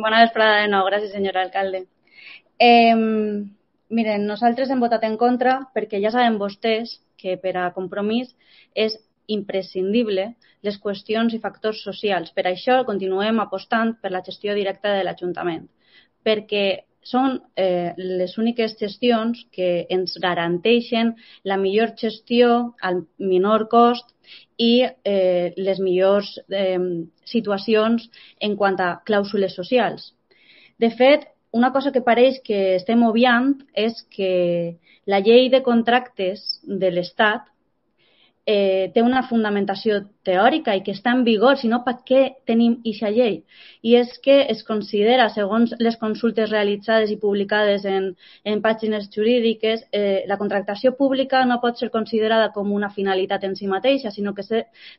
Bona vesprada de nou. Gràcies, senyor alcalde. Miren, nosaltres hem votat en contra perquè ja saben vostès que per a Compromís és imprescindible les qüestions i factors socials. Per això continuem apostant per la gestió directa de l'Ajuntament, perquè són les úniques gestions que ens garanteixen la millor gestió al menor cost i les millors situacions en quant a clàusules socials. De fet, una cosa que pareix que estem obviant és que la llei de contractes de l'Estat té una fundamentació teòrica i que està en vigor, si no, per què tenim aquesta llei? I és que es considera, segons les consultes realitzades i publicades en pàgines jurídiques, la contractació pública no pot ser considerada com una finalitat en si mateixa, sinó que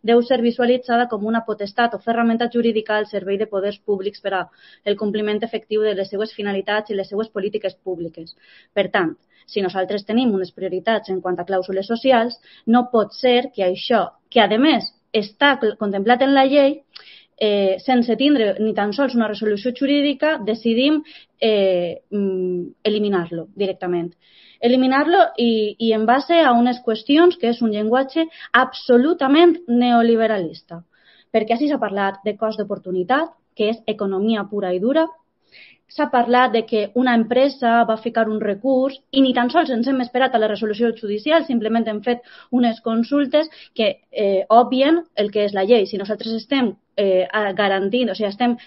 deu ser visualitzada com una potestat o ferramenta jurídica al servei de poders públics per al compliment efectiu de les seues finalitats i les seues polítiques públiques. Per tant, si nosaltres tenim unes prioritats en quant a clàusules socials, no pot ser que això, que a més està contemplat en la llei, sense tindre ni tan sols una resolució jurídica, decidim eliminar-lo directament. Eliminar-lo i en base a unes qüestions que és un llenguatge absolutament neoliberalista. Perquè així s'ha parlat de cost d'oportunitat, que és economia pura i dura. S'ha parlat de que una empresa va ficar un recurs i ni tan sols ens hem esperat a la resolució judicial, simplement hem fet unes consultes que obvien el que és la llei. Si nosaltres estem garantint, o sigui, estem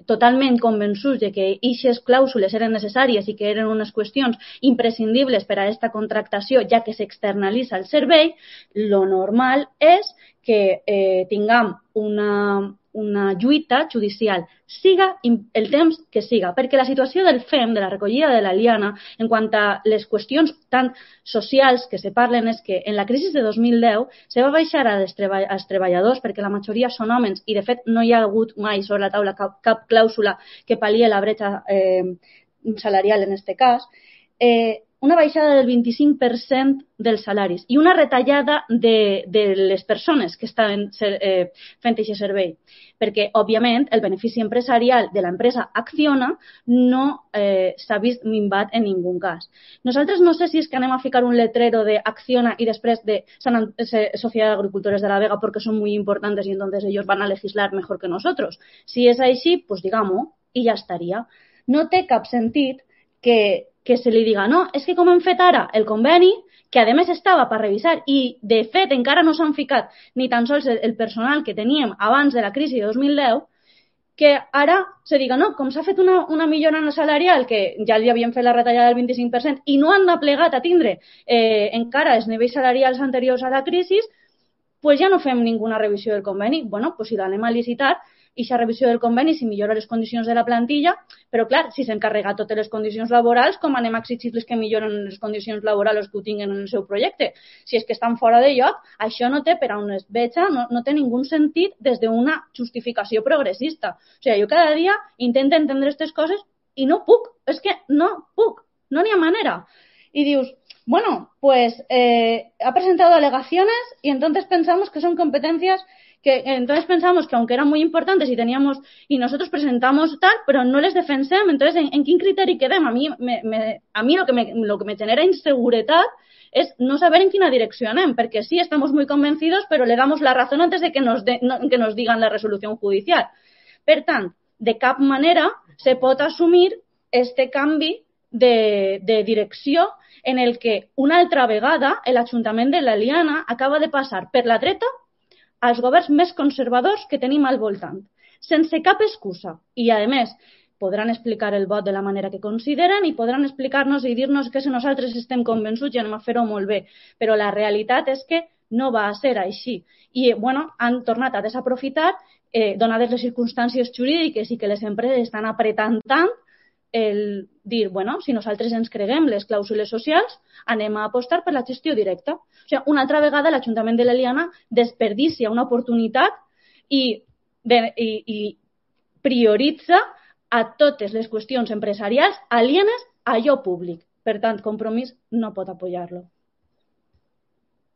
totalment convençuts de que aquestes clàusules eren necessàries i que eren unes qüestions imprescindibles per a aquesta contractació, ja que s'externalitza el servei, lo normal és que tinguem una lluita judicial, siga el temps que siga, perquè la situació del FEM, de la recollida de la liana, en quant a les qüestions tan socials que se parlen, és que en la crisi de 2010 se va baixar als treballadors, perquè la majoria són homes, i de fet no hi ha hagut mai sobre la taula cap clàusula que pal·lia la bretxa salarial en aquest cas, una baixada del 25% dels salaris i una retallada de les persones que estaven fent aquest servei. Perquè, òbviament, el benefici empresarial de l'empresa Acciona no s'ha vist minvat en ningú cas. Nosaltres no sé si és que anem a ficar un letrero de Acciona y després de Sociedad de Agricultores de la Vega porque son muy importantes y entonces ellos van a legislar mejor que nosotros. Si és així, pues digamos, i ja estaria. No té cap sentit que se li diga, no, és que com hem fet ara el conveni, que a més estava per revisar i de fet encara no s'han ficat ni tan sols el personal que teníem abans de la crisi de 2010, que ara se diga, no, com s'ha fet una millora salarial, que ja li havien fet la retallada del 25% i no han aplegat a tindre encara els nivells salarials anteriors a la crisi, pues ja no fem ninguna revisió del conveni. Bueno, pues si l'anem a licitar, i aquesta revisió del conveni si millora les condicions de la plantilla, però clar, si s'encarrega totes les condicions laborals, com anem a exigir-les que milloren les condicions laborals que ho tinguin en el seu projecte? Si és que estan fora de lloc, això no té per a on es veja, no té ningú sentit des d'una justificació progressista. O sigui, jo cada dia intento entendre aquestes coses i no puc, és que no puc, no n'hi ha manera. Y dius, bueno, pues ha presentado alegaciones y entonces pensamos que son competencias entonces pensamos que aunque eran muy importantes y nosotros presentamos tal, pero no les defensem, entonces ¿en quin criteri quedem? A mí lo que me genera inseguridad es no saber en quina direcció anem, perquè sí, estamos muy convencidos, pero le damos la razón antes de que nos digan la resolución judicial. Per tant, de cap manera se pot assumir este canvi de direcció en el que una altra vegada l'Ajuntament de l'Eliana acaba de passar per la dreta als governs més conservadors que tenim al voltant, sense cap excusa. I, a més, podran explicar el vot de la manera que consideren i podran explicar-nos i dir-nos que si nosaltres estem convençuts i anem a fer-ho molt bé. Però la realitat és que no va ser així. I, bueno, han tornat a desaprofitar, donades les circumstàncies jurídiques i que les empreses estan apretant tant, el dir, bueno, si nosaltres ens creguem les clàusules socials, anem a apostar per la gestió directa. O sigui, una altra vegada l'Ajuntament de l'Eliana desperdicia una oportunitat i prioritza a totes les qüestions empresarials alienes a allò públic. Per tant, Compromís no pot apoyar-lo.